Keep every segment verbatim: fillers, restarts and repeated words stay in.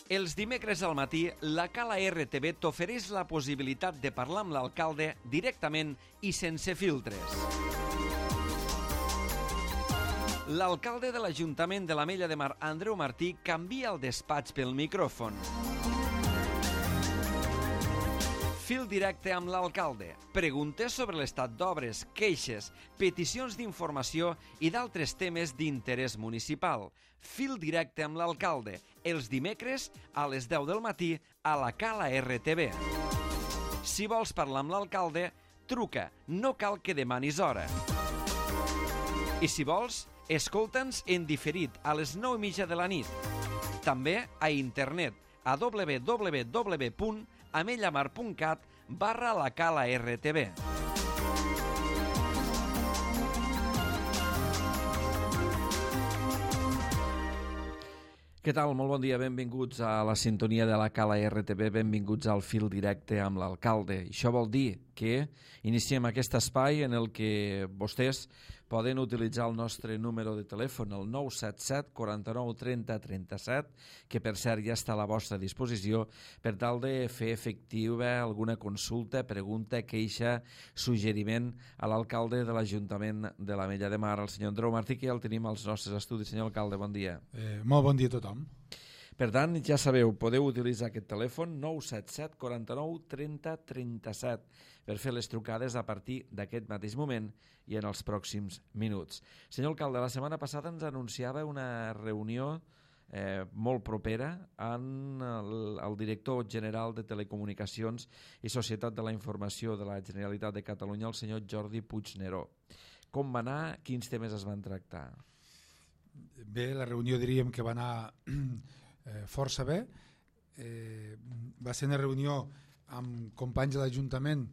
Els dimecres al matí, la Cala R T V t'ofereix la possibilitat de parlar amb l'alcalde directament i sense filtres. L'alcalde de l'Ajuntament de l'Ametlla de Mar, Andreu Martí, canvia el despatx pel micròfon. Fil directe amb l'alcalde. Preguntes sobre l'estat d'obres, queixes, peticions d'informació i d'altres temes d'interès municipal. Fil directe amb l'alcalde. Els dimecres a les deu del matí a la Cala R T V. Si vols parlar amb l'alcalde, truca. No cal que demanis hora. I si vols, escolta'ns en diferit a les nou i mitja de la nit. També a internet a w w w punt amellamar punt cat barra la Cala R T V. Què tal? Molt bon dia, benvinguts a la sintonia de la Cala R T V, benvinguts al fil directe amb l'alcalde. Això vol dir que iniciem aquest espai en el que vostès poden utilitzar el nostre número de telèfon, el nou set set, quaranta-nou, trenta, trenta-set, que per cert ja està a la vostra disposició, per tal de fer efectiva alguna consulta, pregunta, queixa, suggeriment a l'alcalde de l'Ajuntament de l'Ametlla de Mar, el senyor Andreu Martí, que ja el tenim als nostres estudis. Senyor alcalde, bon dia. Eh, molt bon dia a tothom. Per tant, ja sabeu, podeu utilitzar aquest telèfon nou set set, quaranta-nou, trenta, trenta-set per fer les trucades a partir d'aquest mateix moment i en els pròxims minuts. Senyor alcalde, la setmana passada ens anunciava una reunió eh, molt propera amb el, el director general de Telecomunicacions i Societat de la Informació de la Generalitat de Catalunya, el senyor Jordi Puigneró. Com va anar? Quins temes es van tractar? Bé, la reunió diríem que va anar eh, força bé. Eh, va ser una reunió amb companys de l'Ajuntament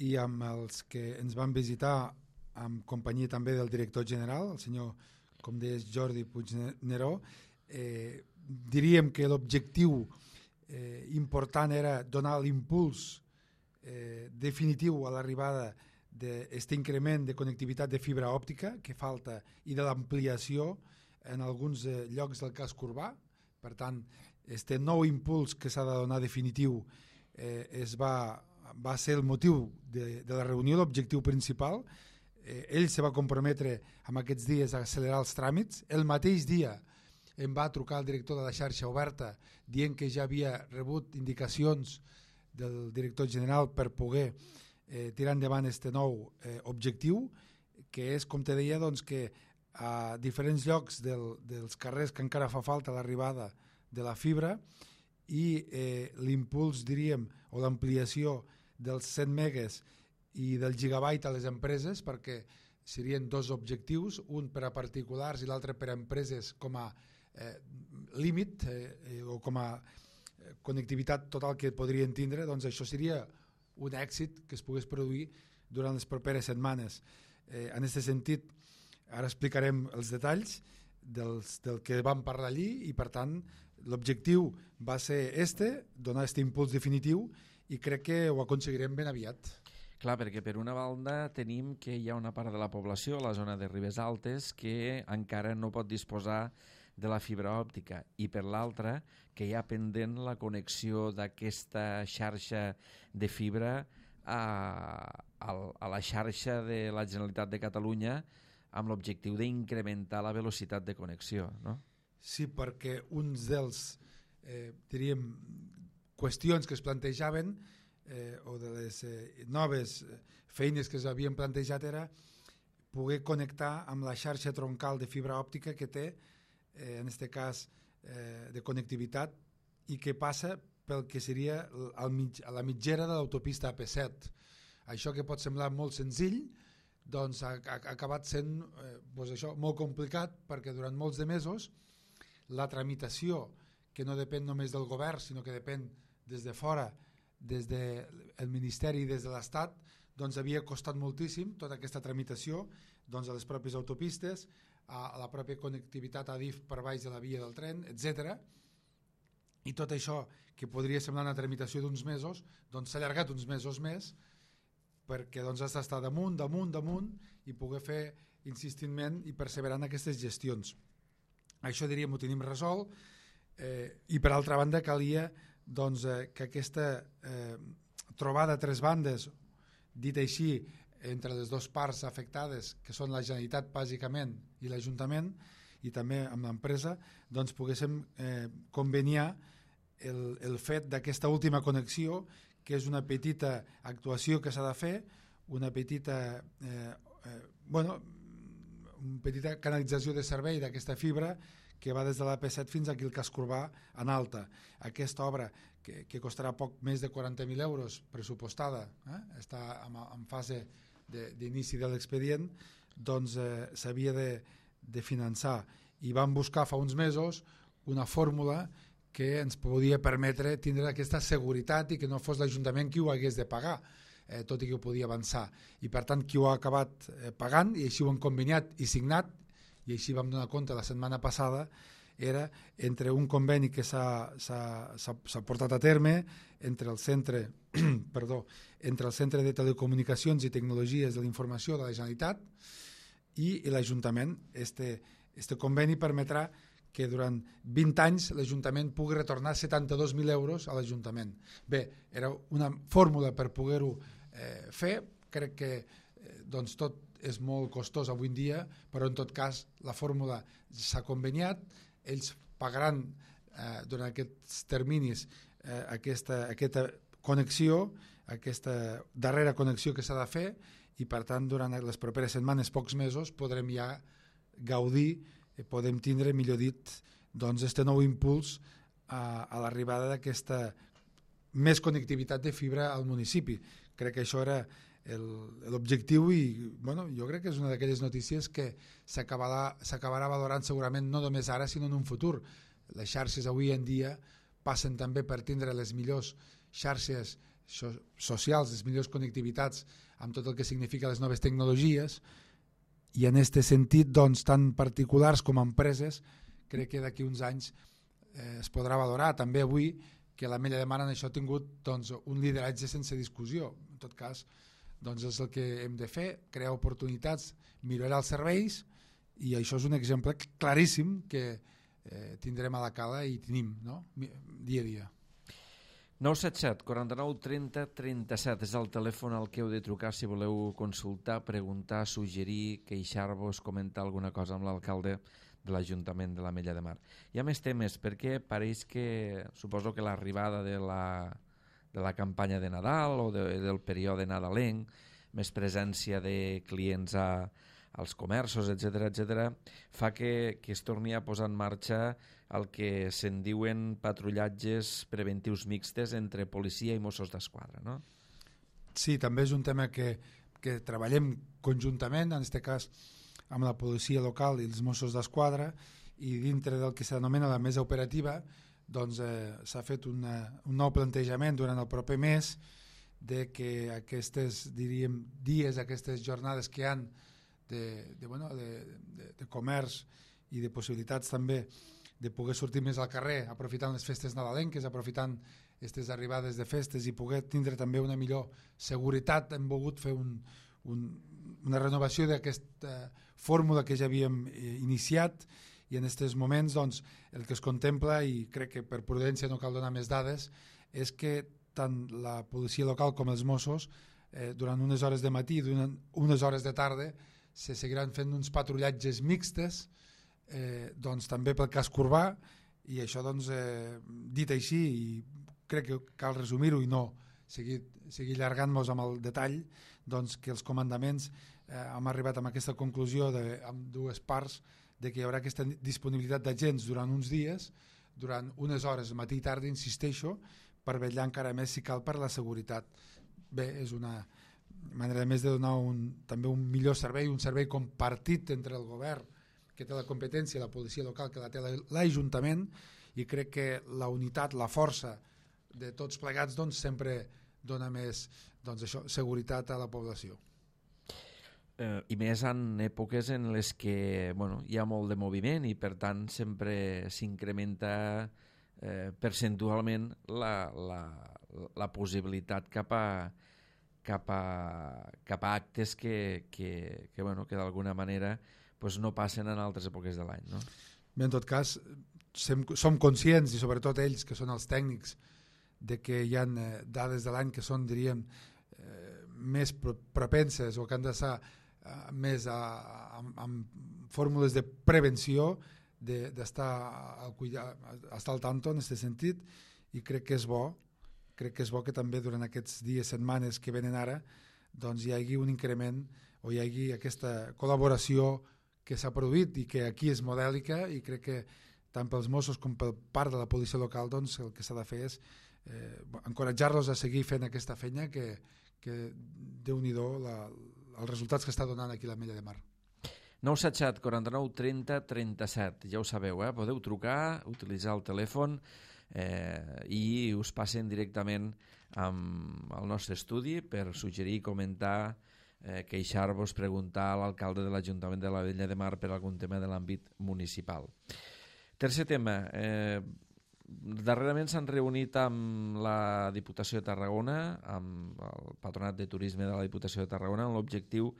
i amb els que ens van visitar amb companyia també del director general, el senyor, com deies, Jordi Puigneró. Eh, diríem que l'objectiu eh, important era donar l'impuls eh, definitiu a l'arribada d'aquest increment de connectivitat de fibra òptica que falta i de l'ampliació en alguns eh, llocs del casc urbà. Per tant, aquest nou impuls que s'ha de donar definitiu eh, es va, va ser el motiu de, de la reunió, l'objectiu principal. Eh, ell se va comprometre en aquests dies a accelerar els tràmits. El mateix dia em va trucar el director de la xarxa oberta dient que ja havia rebut indicacions del director general per poder eh, tirar endavant aquest nou eh, objectiu, que és, com te deia, doncs, que a diferents llocs del, dels carrers que encara fa falta l'arribada de la fibra i eh, l'impuls, diríem, o l'ampliació dels cent megues i del gigabyte a les empreses, perquè serien dos objectius, un per a particulars i l'altre per a empreses com a eh, límit eh, o com a eh, connectivitat total que podrien tindre. Doncs això seria un èxit que es pogués produir durant les properes setmanes. Eh, en aquest sentit, ara explicarem els detalls dels, del que vam parlar allí i, per tant, l'objectiu va ser este, donar aquest impuls definitiu, i crec que ho aconseguirem ben aviat. Clar, perquè per una banda tenim que hi ha una part de la població, la zona de Ribes Altes, que encara no pot disposar de la fibra òptica, i per l'altra que hi ha pendent la connexió d'aquesta xarxa de fibra a, a, a la xarxa de la Generalitat de Catalunya amb l'objectiu d'incrementar la velocitat de connexió, no? Sí, perquè uns dels, eh, diríem, qüestions que es plantejaven eh, o de les eh, noves feines que s'havien plantejat era poder connectar amb la xarxa troncal de fibra òptica que té, eh, en aquest cas, eh, de connectivitat, i que passa pel que seria al mig, a la mitgera de l'autopista A P set. Això que pot semblar molt senzill, doncs ha, ha acabat sent eh, doncs això, molt complicat, perquè durant molts de mesos la tramitació, que no depèn només del govern, sinó que depèn des de fora, des del Ministeri i des de l'Estat, doncs havia costat moltíssim tota aquesta tramitació, doncs a les pròpies autopistes, a, a la pròpia connectivitat a DIF per baix de la via del tren, etcètera. I tot això, que podria semblar una tramitació d'uns mesos, doncs s'ha allargat uns mesos més, perquè doncs, has d'estar damunt, damunt, damunt i poder fer insistentment i perseverant aquestes gestions. Això, diríem, ho tenim resolt. eh, i per altra banda calia doncs, eh, que aquesta eh, trobada a tres bandes, dit així, entre les dues parts afectades, que són la Generalitat bàsicament i l'Ajuntament, i també amb l'empresa, doncs poguéssim eh, conveniar el, el fet d'aquesta última connexió, que és una petita actuació que s'ha de fer, una petita eh, eh, bueno, una petita canalització de servei d'aquesta fibra que va des de l'A P set fins aquí al Casc Urbà en alta. Aquesta obra, que, que costarà poc més de quaranta mil euros pressupostada, eh? està en, en fase d'inici de, de l'expedient, doncs eh, s'havia de, de finançar. I vam buscar fa uns mesos una fórmula que ens podia permetre tindre aquesta seguretat i que no fos l'Ajuntament qui ho hagués de pagar, eh, tot i que ho podia avançar. I per tant qui ho ha acabat eh, pagant, i així ho han conveniat i signat, i així vam donar compte la setmana passada, era entre un conveni que s'ha portat a terme entre el centre perdó, entre el Centre de Telecomunicacions i Tecnologies de la Informació de la Generalitat i, i l'Ajuntament. Este, este conveni permetrà que durant vint anys l'Ajuntament pugui retornar setanta-dos mil euros a l'Ajuntament. Bé, era una fórmula per poder-ho eh, fer, crec que eh, doncs tot és molt costós avui en dia, però en tot cas la fórmula s'ha conveniat, ells pagaran eh, durant aquests terminis eh, aquesta, aquesta connexió, aquesta darrera connexió que s'ha de fer, i per tant durant les properes setmanes, pocs mesos, podrem ja gaudir, eh, podem tindre, millor dit, doncs este nou impuls a, a l'arribada d'aquesta més connectivitat de fibra al municipi. Crec que això era l'objectiu i bueno, jo crec que és una d'aquelles notícies que s'acabarà valorant segurament no només ara sinó en un futur. Les xarxes avui en dia passen també per tindre les millors xarxes so socials, les millors connectivitats amb tot el que significa les noves tecnologies, i en aquest sentit doncs, tant particulars com empreses crec que d'aquí uns anys eh, es podrà valorar. També avui que l'Ametlla de Mar en això ha tingut doncs, un lideratge sense discussió. En tot cas, doncs és el que hem de fer, crear oportunitats, millorar els serveis, i això és un exemple claríssim que eh, tindrem a la cala i tenim, no? Dia a dia. nou set set, quaranta-nou, trenta, trenta-set és el telèfon al que heu de trucar si voleu consultar, preguntar, suggerir, queixar-vos, comentar alguna cosa amb l'alcalde de l'Ajuntament de l'Ametlla de Mar. Hi ha més temes, perquè pareix que, suposo que l'arribada de la, de la campanya de Nadal o de, del període nadalenc, més presència de clients a, als comerços, etcètera, etcètera, fa que, que es torni a posar en marxa el que se'n diuen patrullatges preventius mixtes entre policia i Mossos d'Esquadra, no? Sí, també és un tema que, que treballem conjuntament, en aquest cas amb la policia local i els Mossos d'Esquadra, i dintre del que s'anomena la mesa operativa doncs eh, s'ha fet una, un nou plantejament durant el proper mes de que aquestes, diríem, dies, aquestes jornades que hi ha de, de, bueno, de, de, de comerç i de possibilitats també de poder sortir més al carrer aprofitant les festes nadalenques, aprofitant aquestes arribades de festes i poder tindre també una millor seguretat. Hem volgut fer un, un, una renovació d'aquesta fórmula que ja havíem iniciat, i en aquests moments doncs, el que es contempla, i crec que per prudència no cal donar més dades, és que tant la policia local com els Mossos eh, durant unes hores de matí i durant unes hores de tarda se seguiran fent uns patrullatges mixtes, eh, doncs, també pel casc urbà, i això doncs, eh, dit així, i crec que cal resumir-ho i no seguir, seguir allargant-nos amb el detall, doncs que els comandaments eh, hem arribat a aquesta conclusió de, amb dues parts, de que hi haurà aquesta disponibilitat d'agents durant uns dies, durant unes hores, matí i tarda, insisteixo, per vetllar encara més si cal per la seguretat. Bé, és una manera més de donar un, també un millor servei, un servei compartit entre el govern, que té la competència, la policia local, que la té l'Ajuntament, i crec que la unitat, la força de tots plegats doncs, sempre dona més doncs, això, seguretat a la població. Eh, I més en èpoques en les que bueno, hi ha molt de moviment i per tant sempre s'incrementa eh, percentualment la, la, la possibilitat cap a, cap a, cap a actes que, que, que, bueno, que d'alguna manera pues, no passen en altres èpoques de l'any, no? Bé, en tot cas, sem, som conscients, i sobretot ells, que són els tècnics, de que hi ha eh, dades de l'any que són, diríem, eh, més pro propenses o que han d'estar eh, més a, a, amb fórmules de prevenció, d'estar al, estar al tanto en aquest sentit, i crec que és bo, crec que és bo que també durant aquests dies, setmanes que venen ara, doncs hi hagi un increment o hi hagi aquesta col·laboració que s'ha produït i que aquí és modèlica, i crec que tant pels Mossos com per part de la policia local, doncs el que s'ha de fer és eh, encoratjar-los a seguir fent aquesta feina que, que Déu-n'hi-do la, els resultats que està donant aquí l'Ametlla de Mar. nou set set quaranta-nou trenta trenta-set, ja ho sabeu, eh? Podeu trucar, utilitzar el telèfon eh, i us passen directament amb el nostre estudi per suggerir, comentar, eh, queixar-vos, preguntar a l'alcalde de l'Ajuntament de l'Ametlla de Mar per algun tema de l'àmbit municipal. Tercer tema, eh, darrerament s'han reunit amb la Diputació de Tarragona, amb el Patronat de Turisme de la Diputació de Tarragona, amb l'objectiu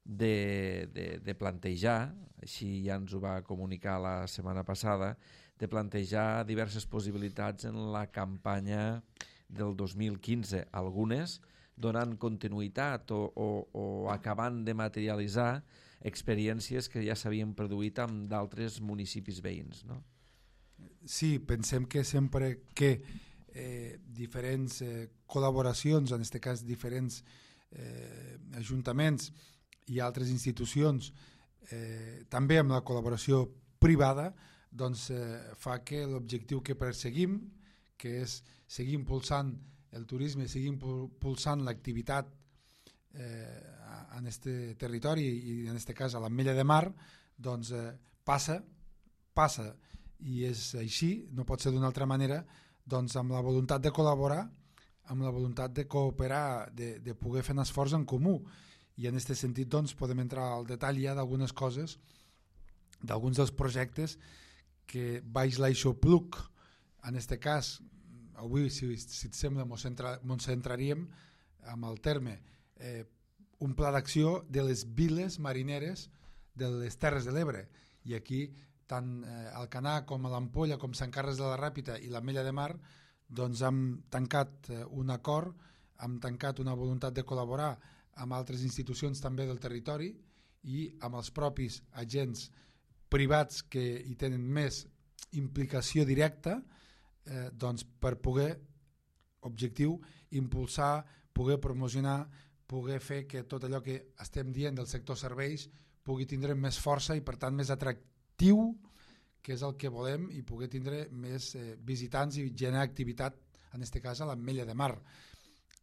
de, de, de plantejar, així ja ens ho va comunicar la setmana passada, de plantejar diverses possibilitats en la campanya del dos mil quinze, algunes donant continuïtat o, o, o acabant de materialitzar experiències que ja s'havien produït amb d'altres municipis veïns, no? Sí, pensem que sempre que eh, diferents eh, col·laboracions, en aquest cas diferents eh, ajuntaments i altres institucions, eh, també amb la col·laboració privada, doncs eh, fa que l'objectiu que perseguim, que és seguir impulsant el turisme, seguir impulsant l'activitat eh, en aquest territori i en aquest cas a l'Ametlla de Mar, doncs eh, passa, passa i és així, no pot ser d'una altra manera, doncs amb la voluntat de col·laborar, amb la voluntat de cooperar, de, de poder fer un esforç en comú. I en aquest sentit doncs, podem entrar al detall ja d'algunes coses, d'alguns dels projectes que baix l'Aixopluc, en aquest cas, avui, si, si et sembla, ens centra, centraríem amb el terme eh, un pla d'acció de les viles marineres de les Terres de l'Ebre. I aquí, tant eh, Alcanar com a l'Ampolla, com Sant Carles de la Ràpita i l'Ametlla de Mar, doncs hem tancat eh, un acord, hem tancat una voluntat de col·laborar amb altres institucions també del territori i amb els propis agents privats que hi tenen més implicació directa, eh, doncs per poder, objectiu, impulsar, poder promocionar, poder fer que tot allò que estem dient del sector serveis pugui tindre més força i per tant més atractiu, que és el que volem, i poder tindre més eh, visitants i generar activitat, en aquest cas a l'Ametlla de Mar.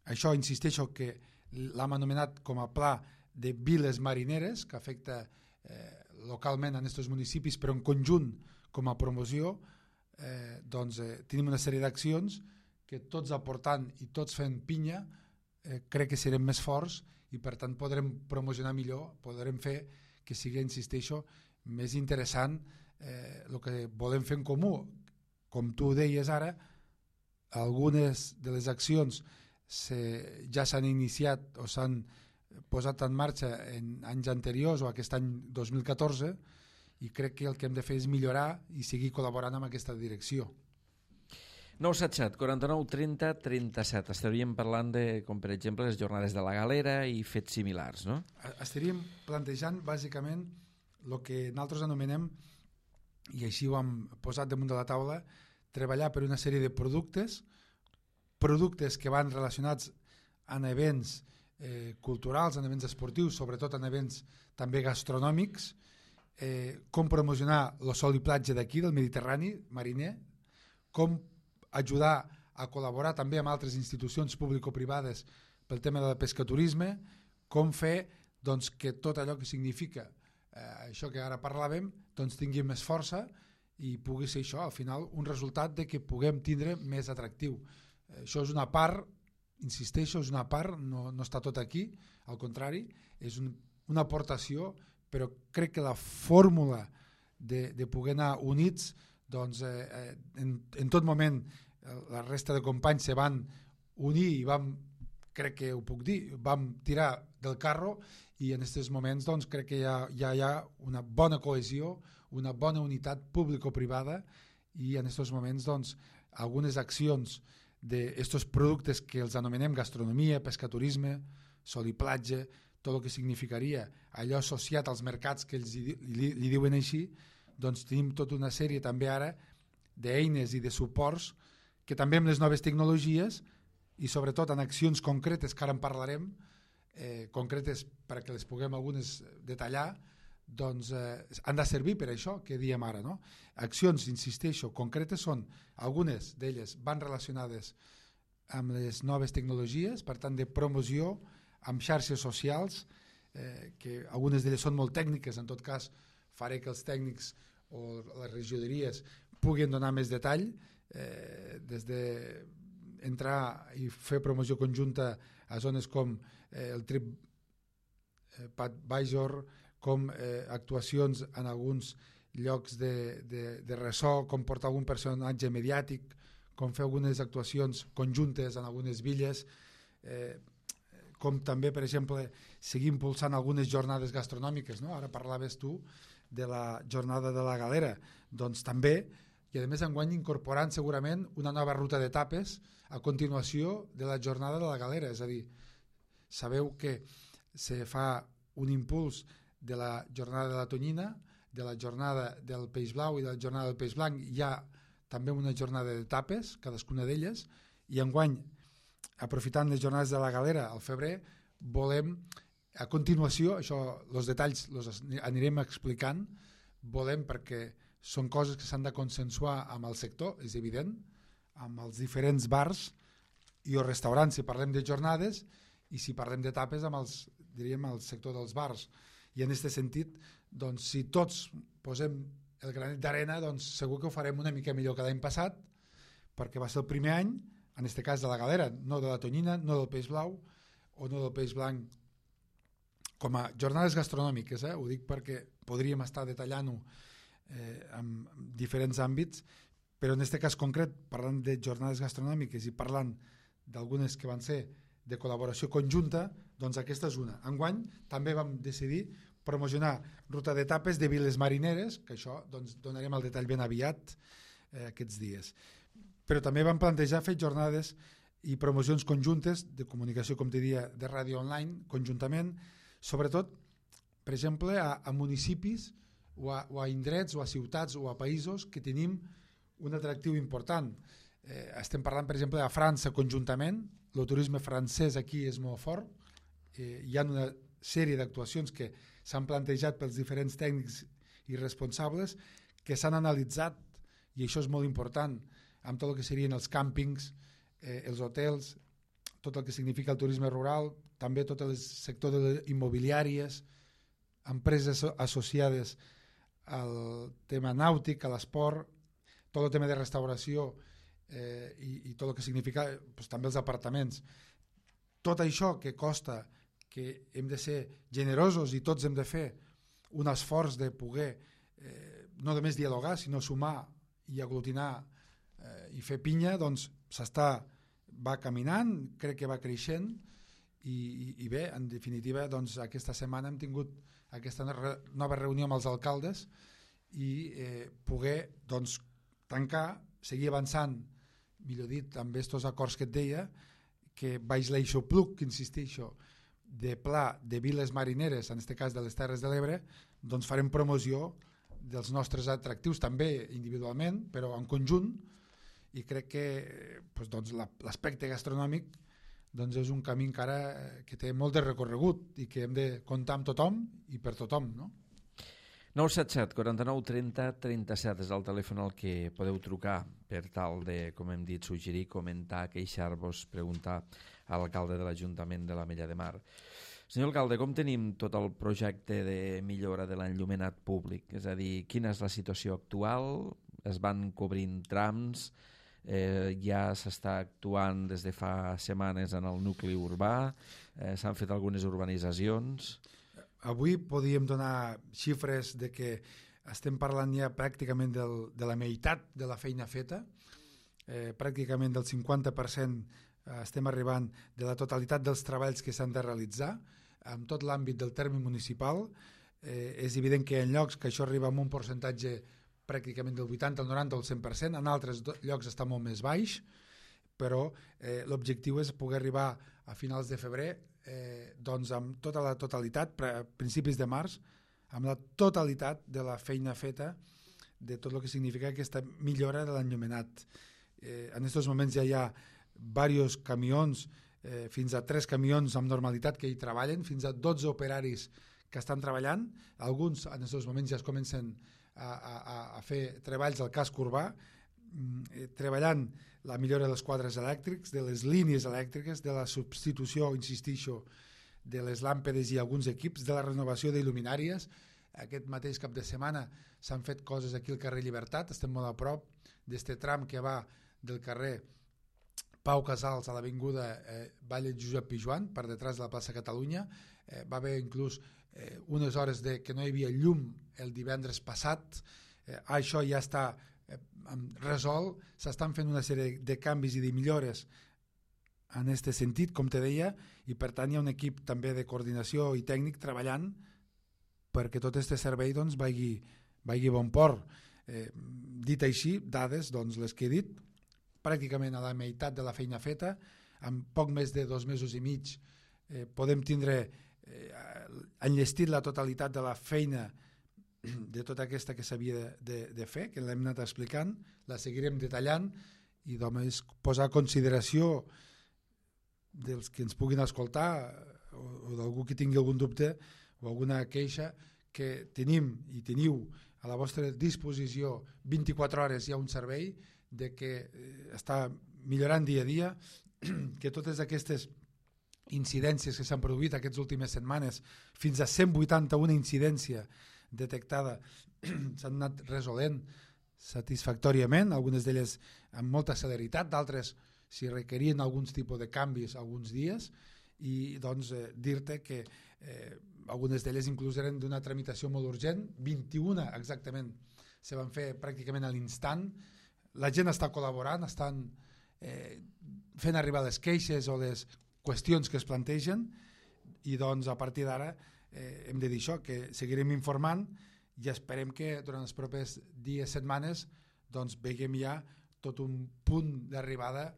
Això, insisteixo, que l'hem anomenat com a pla de viles marineres, que afecta eh, localment en aquests municipis, però en conjunt com a promoció, eh, doncs eh, tenim una sèrie d'accions que tots aportant i tots fent pinya, eh, crec que serem més forts i per tant podrem promocionar millor, podrem fer que sigui, insisteixo, més interessant eh, el que volem fer en comú. Com tu deies ara, algunes de les accions se, ja s'han iniciat o s'han posat en marxa en anys anteriors o aquest any dos mil catorze, i crec que el que hem de fer és millorar i seguir col·laborant amb aquesta direcció. nou set set quaranta-nou trenta trenta-set. Estaríem parlant de, com per exemple, les jornades de la Galera i fets similars, no? Estaríem plantejant bàsicament el que nosaltres anomenem, i així ho hem posat damunt de la taula, treballar per una sèrie de productes, productes que van relacionats en events eh, culturals, en events esportius, sobretot en events també gastronòmics, eh, com promocionar el sol i platja d'aquí, del Mediterrani mariner, com ajudar a col·laborar també amb altres institucions público-privades pel tema del pescaturisme, com fer doncs, que tot allò que significa eh, això que ara parlàvem doncs, tingui més força i pugui ser això, al final, un resultat de que puguem tindre més atractiu. Eh, això és una part, insisteixo, és una part, no, no està tot aquí, al contrari, és un, una aportació, però crec que la fórmula de, de poder anar units, doncs eh, en, en tot moment la resta de companys se van unir i vam, crec que ho puc dir, vam tirar del carro i en aquests moments doncs, crec que ja, ja hi ha una bona cohesió, una bona unitat público-privada i en aquests moments doncs, algunes accions d'estos productes que els anomenem gastronomia, pescaturisme, sol i platja, tot el que significaria allò associat als mercats que ells li, li, li diuen així, doncs tenim tota una sèrie també ara d'eines i de suports que també amb les noves tecnologies i sobretot en accions concretes que ara en parlarem, eh, concretes perquè les puguem algunes detallar, doncs eh, han de servir per això que diem ara, no? Accions, insisteixo, concretes són, algunes d'elles van relacionades amb les noves tecnologies, per tant de promoció amb xarxes socials, eh, que algunes d'elles són molt tècniques, en tot cas faré que els tècnics o les regidories puguin donar més detall, eh, des de entrar i fer promoció conjunta a zones com eh, el Trip eh, Padvisor, com eh, actuacions en alguns llocs de, de, de ressò, com portar algun personatge mediàtic, com fer algunes actuacions conjuntes en algunes villes, eh, com també, per exemple, seguir impulsant algunes jornades gastronòmiques, no? Ara parlaves tu de la jornada de la Galera, doncs també, i a més enguany incorporant segurament una nova ruta d'etapes a continuació de la jornada de la Galera, és a dir, sabeu que se fa un impuls de la jornada de la tonyina, de la jornada del peix blau i de la jornada del peix blanc, hi ha també una jornada d'etapes, cadascuna d'elles, i enguany, aprofitant les jornades de la Galera al febrer, volem, a continuació, això, els detalls els anirem explicant, volem perquè són coses que s'han de consensuar amb el sector, és evident, amb els diferents bars i o restaurants, si parlem de jornades, i si parlem d'etapes amb els, diríem, el sector dels bars. I en aquest sentit, doncs, si tots posem el granet d'arena, doncs segur que ho farem una mica millor que l'any passat, perquè va ser el primer any, en aquest cas de la Galera, no de la tonyina, no del peix blau o no del peix blanc, com a jornades gastronòmiques, eh? Ho dic perquè podríem estar detallant-ho eh, en diferents àmbits, però en aquest cas concret, parlant de jornades gastronòmiques i parlant d'algunes que van ser de col·laboració conjunta, doncs aquesta és una. Enguany també vam decidir promocionar ruta d'etapes de viles marineres, que això doncs, donarem el detall ben aviat eh, aquests dies. Però també vam plantejar fer jornades i promocions conjuntes de comunicació, com te dia, de ràdio online, conjuntament, sobretot, per exemple, a, a municipis o a, o a indrets o a ciutats o a països que tenim un atractiu important. Eh, estem parlant, per exemple, a França conjuntament, el turisme francès aquí és molt fort, eh, hi ha una sèrie d'actuacions que s'han plantejat pels diferents tècnics i responsables que s'han analitzat, i això és molt important, amb tot el que serien els càmpings, eh, els hotels, tot el que significa el turisme rural, també tot el sector de les immobiliàries, empreses associades al tema nàutic, a l'esport, tot el tema de restauració eh, i, i tot el que significa doncs, també els apartaments. Tot això que costa, que hem de ser generosos i tots hem de fer un esforç de poder eh, no només dialogar, sinó sumar i aglutinar eh, i fer pinya, doncs s'està, va caminant, crec que va creixent i, i, i bé, en definitiva, doncs aquesta setmana hem tingut aquesta nova reunió amb els alcaldes i eh, poder doncs, tancar, seguir avançant, millor dit, amb aquests acords que et deia, que baix l'eixopluc, que insisteixo, de pla de viles marineres, en aquest cas de les Terres de l'Ebre, doncs farem promoció dels nostres atractius també individualment, però en conjunt, i crec que doncs, l'aspecte gastronòmic doncs, és un camí encara que té molt de recorregut i que hem de comptar amb tothom i per tothom, no? nou set set, quaranta-nou, trenta, trenta-set és el telèfon al que podeu trucar per tal de, com hem dit, suggerir, comentar, queixar-vos, preguntar a l'alcalde de l'Ajuntament de l'Ametlla de Mar. Senyor alcalde, com tenim tot el projecte de millora de l'enllumenat públic? És a dir, quina és la situació actual? Es van cobrint trams? Eh, ja s'està actuant des de fa setmanes en el nucli urbà? Eh, s'han fet algunes urbanitzacions? Avui podíem donar xifres de que estem parlant ja pràcticament del, de la meitat de la feina feta, eh, pràcticament del cinquanta per cent estem arribant de la totalitat dels treballs que s'han de realitzar en tot l'àmbit del terme municipal. Eh, és evident que en llocs que això arriba amb un percentatge pràcticament del vuitanta, el noranta o el cent per cent, en altres llocs està molt més baix, però eh, l'objectiu és poder arribar a finals de febrer eh, doncs amb tota la totalitat, a principis de març, amb la totalitat de la feina feta, de tot el que significa aquesta millora de l'enllumenat. Eh, en aquests moments ja hi ha diversos camions, eh, fins a tres camions amb normalitat que hi treballen, fins a dotze operaris que estan treballant, alguns en aquests moments ja es comencen a, a, a fer treballs al casc urbà, eh, treballant la millora dels quadres elèctrics, de les línies elèctriques, de la substitució, insistixo, de les làmpades i alguns equips, de la renovació d'il·luminàries. Aquest mateix cap de setmana s'han fet coses aquí al carrer Llibertat, estem molt a prop d'este tram que va del carrer Pau Casals a l'avinguda eh, Valle Josep Pijuan, per detrás de la plaça Catalunya. Eh, va haver inclús eh, unes hores de que no hi havia llum el divendres passat. Eh, això ja està eh, resolt, s'estan fent una sèrie de canvis i de millores en aquest sentit, com te deia, i per tant hi ha un equip també de coordinació i tècnic treballant perquè tot aquest servei doncs, vagi, vagi bon port. Eh, dit així, dades, doncs, les que he dit, pràcticament a la meitat de la feina feta, en poc més de dos mesos i mig eh, podem tindre eh, enllestit la totalitat de la feina de tota aquesta que s'havia de, de, de fer, que l'hem anat explicant, la seguirem detallant i només posar a consideració dels que ens puguin escoltar o, o d'algú que tingui algun dubte o alguna queixa, que tenim i teniu a la vostra disposició vint-i-quatre hores hi ha un servei de que eh, està millorant dia a dia, que totes aquestes incidències que s'han produït aquestes últimes setmanes, fins a cent vuitanta-una incidència detectada, s'han anat resolent satisfactòriament, algunes d'elles amb molta celeritat, d'altres si requerien alguns tipus de canvis alguns dies, i doncs eh, dir-te que eh, algunes d'elles inclús eren d'una tramitació molt urgent, vint-i-una exactament se van fer pràcticament a l'instant. La gent està col·laborant, estan eh, fent arribar les queixes o les qüestions que es plantegen, i doncs a partir d'ara eh, hem de dir això, que seguirem informant i esperem que durant els propers dies, setmanes, doncs veiem ja tot un punt d'arribada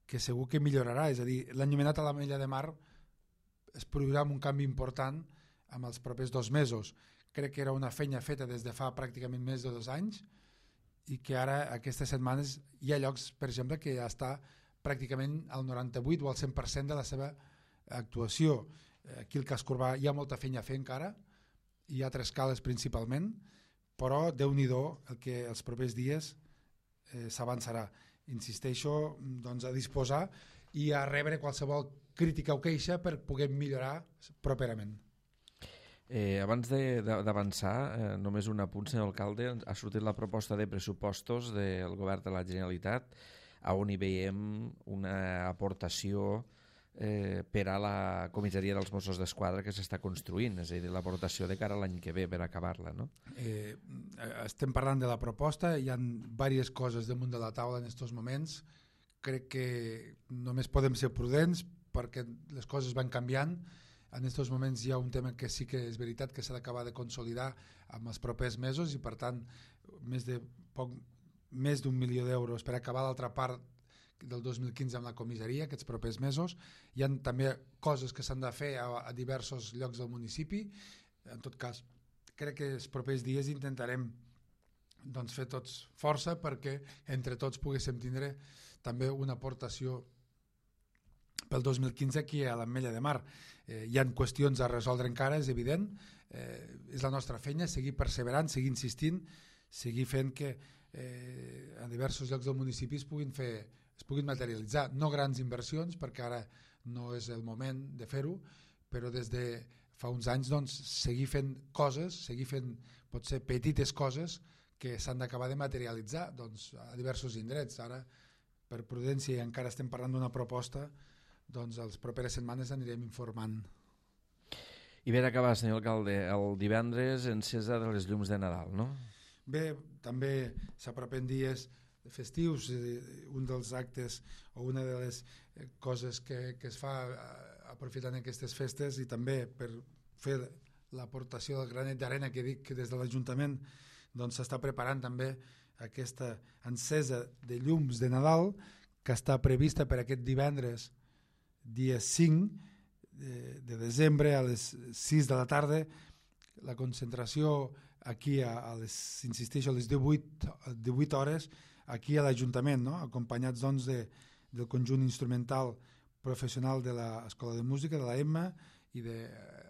que segur que millorarà. És a dir, l'enllumenat a l'Ametlla de Mar es produirà un canvi important en els propers dos mesos. Crec que era una feina feta des de fa pràcticament més de dos anys i que ara aquestes setmanes hi ha llocs, per exemple, que ja està pràcticament al noranta-vuit o al cent per cent de la seva actuació. Aquí al casc urbà hi ha molta feina a fer encara, hi ha tres cales principalment, però Déu-n'hi-do el que els propers dies eh, s'avançarà. Insisteixo doncs, a disposar i a rebre qualsevol crítica o queixa per poder millorar properament. Eh, abans d'avançar, eh, només un apunt, senyor alcalde, ha sortit la proposta de pressupostos del govern de la Generalitat on hi veiem una aportació eh, per a la comissaria dels Mossos d'Esquadra que s'està construint, és a dir, l'aportació de cara a l'any que ve per acabar-la, no? Eh, estem parlant de la proposta, hi ha diverses coses damunt de la taula en aquests moments. Crec que només podem ser prudents perquè les coses van canviant. En aquests moments hi ha un tema que sí que és veritat que s'ha d'acabar de consolidar en els propers mesos i per tant més de poc, més d'un milió d'euros per acabar l'altra part del dos mil quinze amb la comissaria aquests propers mesos. Hi ha també coses que s'han de fer a, a diversos llocs del municipi. En tot cas, crec que els propers dies intentarem doncs, fer tots força perquè entre tots poguéssim tindre també una aportació pel dos mil quinze aquí a l'Ametlla de Mar. Eh, hi ha qüestions a resoldre encara, és evident. Eh, és la nostra feina, seguir perseverant, seguir insistint, seguir fent que eh, a diversos llocs del municipi es puguin fer es puguin materialitzar, no grans inversions perquè ara no és el moment de fer-ho, però des de fa uns anys doncs, seguir fent coses, seguir fent potser petites coses que s'han d'acabar de materialitzar doncs, a diversos indrets. Ara, per prudència, i encara estem parlant d'una proposta, doncs les properes setmanes anirem informant. I per acabar, senyor alcalde, el divendres encesa de les llums de Nadal, no? Bé, també s'apropen dies festius, un dels actes o una de les coses que, que es fa aprofitant aquestes festes i també per fer l'aportació del granet d'arena que dic que des de l'Ajuntament doncs s'està preparant també aquesta encesa de llums de Nadal que està prevista per aquest divendres dia cinc de, de desembre a les sis de la tarda. La concentració aquí a, a les, insisteixo, a les divuit, divuit hores aquí a l'Ajuntament, no? Acompanyats doncs de, del conjunt instrumental professional de l'Escola de Música, de la Emma, i de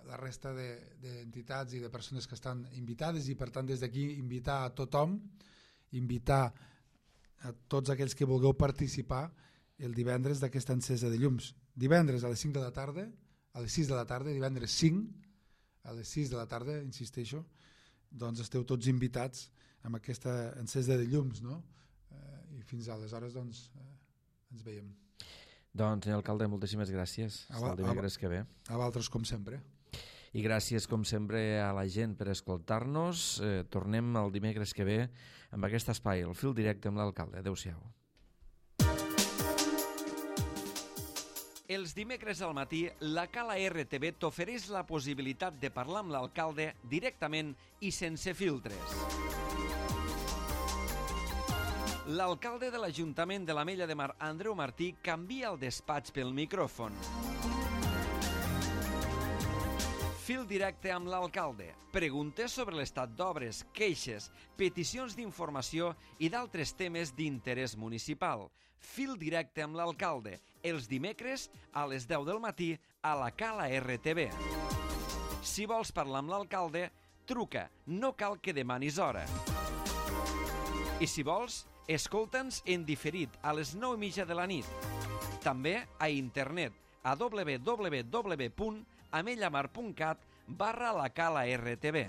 la resta d'entitats de, i de persones que estan invitades, i per tant des d'aquí invitar a tothom, invitar a tots aquells que vulgueu participar el divendres d'aquesta encesa de llums. Divendres a les cinc de la tarda, a les sis de la tarda, divendres cinc, a les sis de la tarda, insisteixo, doncs esteu tots invitats amb aquesta encesa de llums, no? Eh, I fins aleshores doncs eh, ens veiem. Doncs, senyor alcalde, moltíssimes gràcies. Fins el dimecres que ve. A vosaltres, com sempre. I gràcies, com sempre, a la gent per escoltar-nos. Eh, tornem el dimecres que ve amb aquest espai, el fil directe amb l'alcalde. Adéu-siau. Els dimecres al matí, la Cala R T V t'ofereix la possibilitat de parlar amb l'alcalde directament i sense filtres. L'alcalde de l'Ajuntament de l'Ametlla de Mar, Andreu Martí, canvia el despatx pel micròfon. Fil directe amb l'alcalde. Preguntes sobre l'estat d'obres, queixes, peticions d'informació i d'altres temes d'interès municipal. Fil directe amb l'alcalde. Els dimecres a les deu del matí a la Cala R T V. Si vols parlar amb l'alcalde, truca. No cal que demanis hora. I si vols, escolta'ns en diferit a les nou i mitja de la nit. També a internet a w w w punt amellamar punt cat barra la Cala R T V.